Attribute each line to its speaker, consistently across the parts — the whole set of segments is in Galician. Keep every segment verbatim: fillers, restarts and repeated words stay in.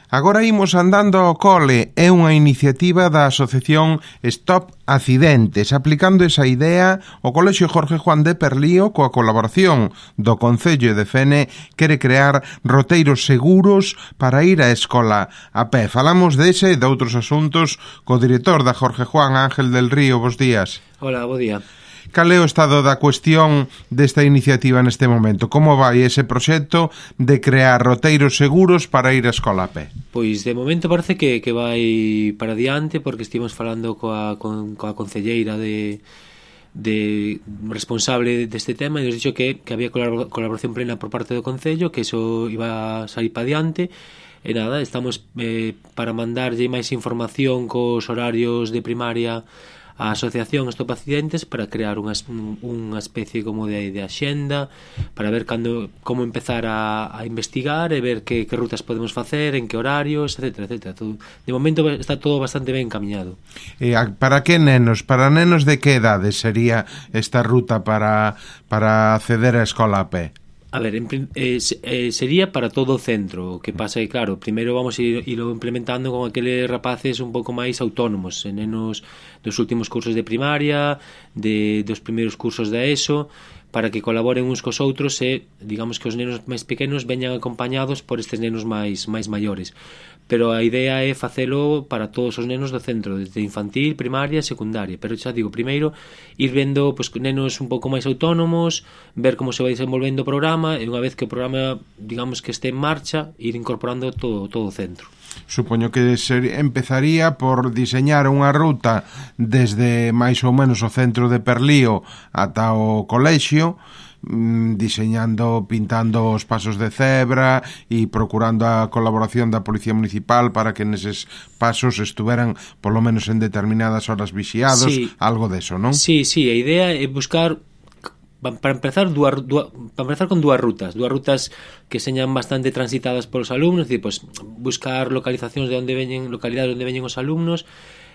Speaker 1: Agora imos andando ao cole, é unha iniciativa da asociación Stop Accidentes. Aplicando esa idea, o Colexio Jorge Juan de Perlío, coa colaboración do Concello de Fene, quere crear roteiros seguros para ir á escola a pé. Falamos dese e de outros asuntos co director da Jorge Juan, Ángel del Río. Bos días.
Speaker 2: Hola, bo día.
Speaker 1: Cal é o estado da cuestión desta iniciativa neste momento? Como vai ese proxecto de crear roteiros seguros para ir á escola a pé?
Speaker 2: Pois de momento parece que, que vai para diante, porque estivemos falando coa, con, coa concelleira de, de responsable deste tema e nos dixo que, que había colaboración plena por parte do Concello, que iso iba a sair para diante. E nada, estamos eh, para mandarlle máis información cos horarios de primaria a asociación Stop Accidentes para crear unha, unha especie como de, de axenda para ver cando, como empezar a, a investigar e ver que, que rutas podemos facer, en que horarios, etcétera, etcétera. Todo, de momento está todo bastante ben encaminado.
Speaker 1: E para que nenos? Para nenos de que edade sería esta ruta para, para acceder á escola a pé?
Speaker 2: A ver, en, eh, eh, sería para todo o centro. O que pasa é que, claro, primeiro vamos a ir, irlo implementando con aqueles rapaces un pouco máis autónomos, nenos dos últimos cursos de primaria, de, dos primeiros cursos da ESO, para que colaboren uns cos outros e, digamos, que os nenos máis pequenos veñan acompañados por estes nenos máis máis maiores. Pero a idea é facelo para todos os nenos do centro, desde infantil, primaria e secundaria. Pero xa digo, primeiro, ir vendo pues, nenos un pouco máis autónomos, ver como se vai desenvolvendo o programa, e unha vez que o programa, digamos, que este en marcha, ir incorporando todo, todo o centro.
Speaker 1: Supoño que ser, empezaría por diseñar unha ruta desde máis ou menos o centro de Perlío ata o colexio, diseñando, pintando os pasos de cebra e procurando a colaboración da Policía Municipal para que neses pasos estuveran polo menos en determinadas horas vixiados, sí. Algo deso, non?
Speaker 2: Sí, sí, a idea é buscar para empezar dúas, dúas, para empezar con dúas rutas, dúas rutas que señan bastante transitadas polos alumnos, é dicir, pues, buscar localizacións de onde veñen, localidades onde veñen os alumnos,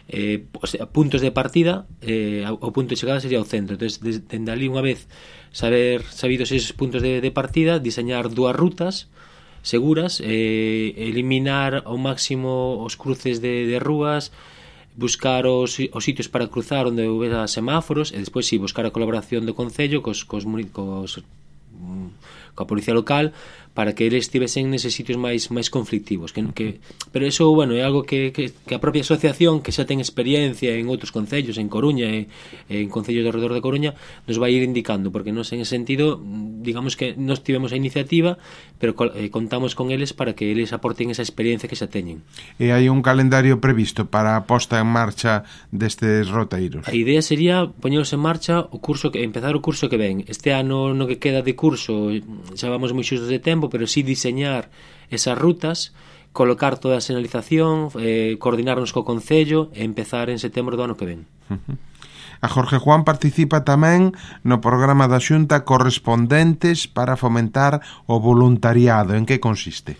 Speaker 2: eh, o sea, puntos de partida, eh, o punto de chegada sería o centro. Entonces, dende ali unha vez saber sabidos esos puntos de, de partida, diseñar dúas rutas seguras, eh, eliminar ao máximo os cruces de, de rúas, buscar os, os sitios para cruzar onde houbera semáforos, e despois sí, buscar a colaboración do Concello cos, cos, cos, coa Policía Local para que eles estivesen neses sitios máis máis conflictivos, que, que pero eso, bueno, é algo que, que, que a propia asociación, que xa ten experiencia en outros concellos, en Coruña e, e en concellos do redor de Coruña, nos vai ir indicando, porque nos en ese sentido, digamos que nos tivemos a iniciativa, pero eh, contamos con eles para que eles aporten esa experiencia que xa teñen.
Speaker 1: E hai un calendario previsto para a posta en marcha destes roteiros?
Speaker 2: A idea sería poñeros en marcha o curso que empezar o curso que ven. Este ano no que queda de curso xa vamos moi xustos de tempo, pero sí diseñar esas rutas, colocar toda a señalización, eh, coordinarnos co Concello e empezar en setembro do ano que ven.
Speaker 1: Uh-huh. A Jorge Juan participa tamén no programa da Xunta Correspondentes para fomentar o voluntariado. En que consiste?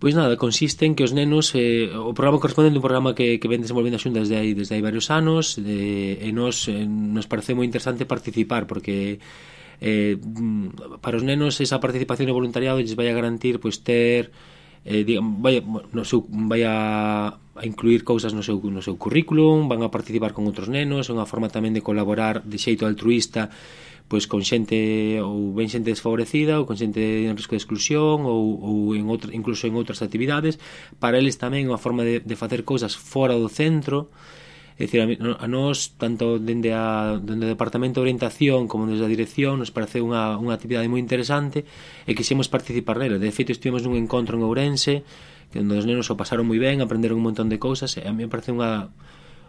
Speaker 2: Pois nada, consiste en que os nenos, eh, o programa correspondente é un programa que, que ven desenvolvendo a Xunta desde aí, desde hai varios anos, eh, e nos, eh, nos parece moi interesante participar, porque Eh, para os nenos esa participación e voluntariado lles vai a garantir pois ter eh, digamos, vai, no seu, vai a, a incluir cousas no seu, no seu currículum, van a participar con outros nenos, é unha forma tamén de colaborar de xeito altruista pois con xente ou ben xente desfavorecida ou con xente en risco de exclusión ou, ou en outra, incluso en outras actividades. Para eles tamén é unha forma de, de facer cousas fora do centro. É dicir, a nós, tanto dende, a, dende o Departamento de Orientación como desde a Dirección, nos parece unha, unha actividade moi interesante e quixemos participar nela. De feito, estivemos nun encontro en Ourense onde os nenos o pasaron moi ben, aprenderon un montón de cousas e a mí me parece unha,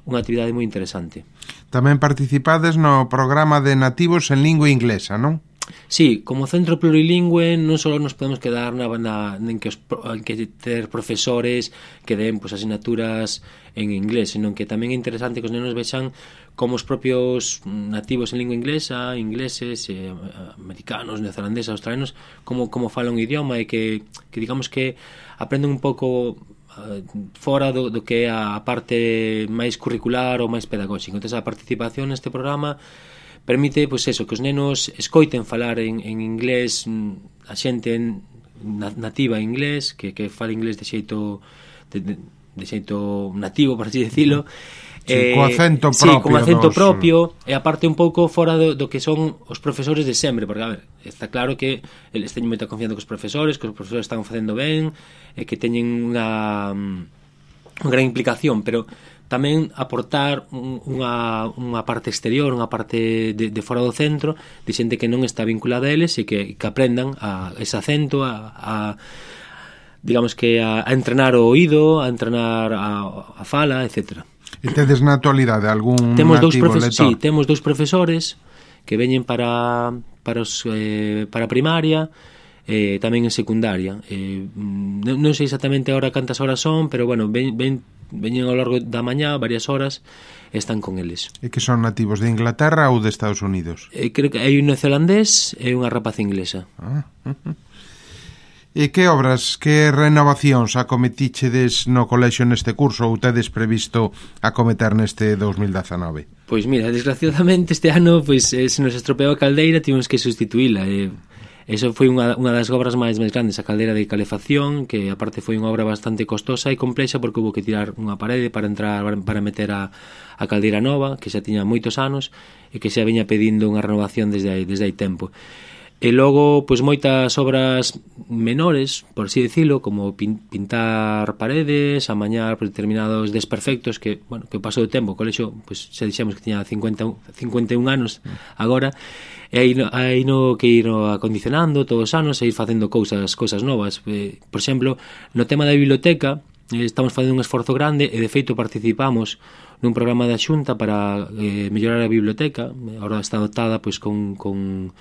Speaker 2: unha actividade moi interesante.
Speaker 1: Tamén participades no programa de nativos en lingua inglesa, non?
Speaker 2: Sí, como centro plurilingüe non só nos podemos quedar na, na, en, que os, en que ter profesores que den pues, asignaturas en inglés, senón que tamén é interesante que os nenos vexan como os propios nativos en lingua inglesa, ingleses, eh, americanos, neozelandeses, australianos, como, como falan o idioma e que, que digamos que aprenden un pouco uh, fora do, do que é a parte máis curricular ou máis pedagóxica. Entón, a participación neste programa permite, pois eso, que os nenos escoiten falar en, en inglés a xente en, nativa en inglés, que, que fala inglés de xeito de, de, de xeito nativo, por así decirlo.
Speaker 1: Sí, eh, co acento propio.
Speaker 2: Sí, con acento dos... propio, e aparte un pouco fora do, do que son os profesores de sempre, porque, a ver, está claro que eles teñen moita confianza cos profesores, que os profesores están facendo ben, e que teñen unha, unha gran implicación, pero tamén aportar unha, unha parte exterior, unha parte de, de fora do centro, de xente que non está vinculada a eles e que, que aprendan a ese acento, a... a digamos que a, a entrenar o oído, a entrenar a, a fala, etcétera.
Speaker 1: E tedes na actualidade algún
Speaker 2: temos dous
Speaker 1: nativo
Speaker 2: profes-
Speaker 1: lector?
Speaker 2: Sí, temos dous profesores que veñen para para os eh, para primaria e eh, tamén en secundaria. Eh, non, non sei exactamente agora cantas horas son, pero bueno, ven, ven, veñen ao largo da mañá varias horas e están con eles.
Speaker 1: E que son nativos de Inglaterra ou de Estados Unidos?
Speaker 2: Eh, creo que hai un neozelandés e unha rapaza inglesa.
Speaker 1: Ah, uh, uh. E que obras, que renovacións acometichedes no colexio neste curso ou tedes previsto acometer neste dos mil dezanove?
Speaker 2: Pois mira, desgraciadamente este ano pois, eh, se nos estropeou a caldeira, tivemos que sustituíla. Eh, eso foi unha, unha das obras máis máis grandes, a caldeira de calefacción, que aparte foi unha obra bastante costosa e complexa porque hubo que tirar unha parede para entrar para meter a, a caldeira nova, que xa tiña moitos anos e que xa veña pedindo unha renovación desde aí, desde hai tempo. E logo, pois moitas obras menores, por así decirlo, como pin, pintar paredes, amañar determinados desperfectos que, bueno, que pasou o tempo, o colexo, pois xa dixemos que tiña cincuenta, cincuenta e un anos agora, e aí, aí no que ir acondicionando todos os anos e ir facendo cousas, cousas novas. Eh, por exemplo, no tema da biblioteca, eh, estamos facendo un esforzo grande e de feito participamos nun programa da Xunta para eh, mellorar a biblioteca. Agora está dotada pois con, con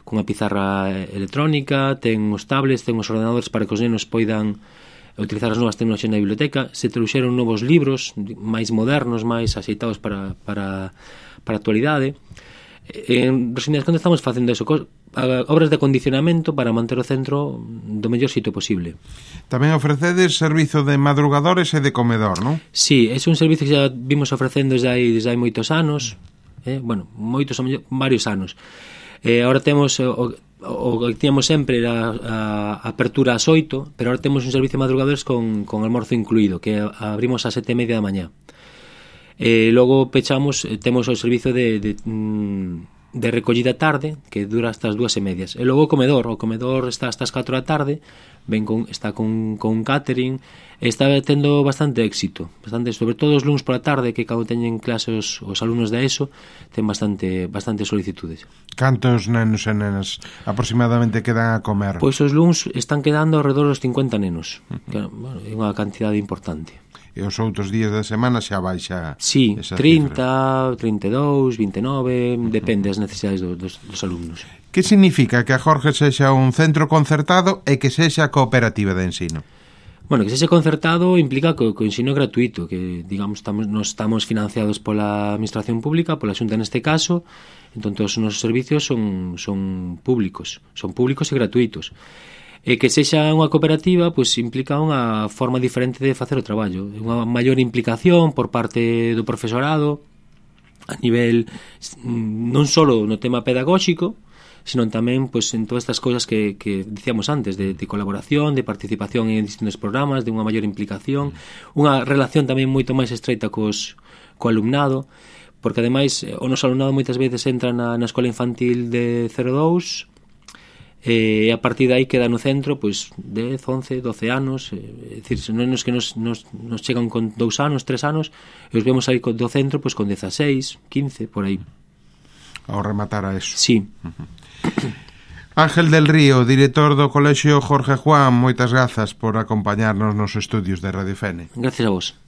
Speaker 2: cunha pizarra electrónica, ten os tablets, ten os ordenadores para que os nenos poidan utilizar as novas tecnoloxías na biblioteca. Se trouxeron novos libros máis modernos, máis axeitados para, para, para a actualidade. En resumidas contas, estamos facendo eso, obras de acondicionamento para manter o centro do mellor sitio posible.
Speaker 1: Tamén ofrecedes servizo de madrugadores e de comedor, non?
Speaker 2: Sí, é un servizo que xa vimos ofrecendo desde hai, desde hai moitos anos, eh? bueno, moitos, varios anos. Eh, ahora temos o, o que tiñamos sempre era a, a apertura ás oito, pero ahora temos un servicio de madrugadores con, con almorzo incluído, que abrimos ás sete e media da mañá. Eh, logo pechamos, temos o servicio de, de, de recollida tarde, que dura hasta as dúas e medias. E logo o comedor, o comedor está hasta as catro da tarde, ven con, está con, con un catering, está tendo bastante éxito, bastante, sobre todo os luns pola tarde, que cando teñen clases os, os alumnos da ESO, ten bastante bastante solicitudes.
Speaker 1: Cantos nenos e nenas aproximadamente quedan a comer?
Speaker 2: Pois os luns están quedando alrededor dos cincuenta nenos, que bueno, é unha cantidade importante.
Speaker 1: E os outros días da semana xa baixa.
Speaker 2: Sí, trinta, trinta e dous, vinte e nove, depende das necesidades do, dos, dos alumnos.
Speaker 1: Que significa que a Jorge sexa un centro concertado e que sexa cooperativa de ensino?
Speaker 2: Bueno, que sexa concertado implica que o ensino é gratuito, que, digamos, estamos, nos estamos financiados pola administración pública, pola Xunta neste caso, entón todos os nosos servicios son, son públicos, son públicos e gratuitos. E que sexa unha cooperativa, pois implica unha forma diferente de facer o traballo, unha maior implicación por parte do profesorado a nivel non só no tema pedagóxico, sino tamén pois, en todas estas cousas que, que dicíamos antes, de, de colaboración, de participación en distintos programas, de unha maior implicación, unha relación tamén moito máis estreita cos, co alumnado, porque ademais o noso alumnado moitas veces entra na, na escola infantil de cero dous e a partir de aí queda no centro pois dez, once, doce anos, é dicir, non é que nos, nos, nos chegan con dous anos, tres anos e os vemos aí do centro pois con dezaseis, quince, por aí.
Speaker 1: Ao rematar a eso.
Speaker 2: Sí.
Speaker 1: Uh-huh. Ángel del Río, director do Colexio Jorge Juan, moitas grazas por acompañarnos nos estudios de Radio Fene.
Speaker 2: Gracias a vos.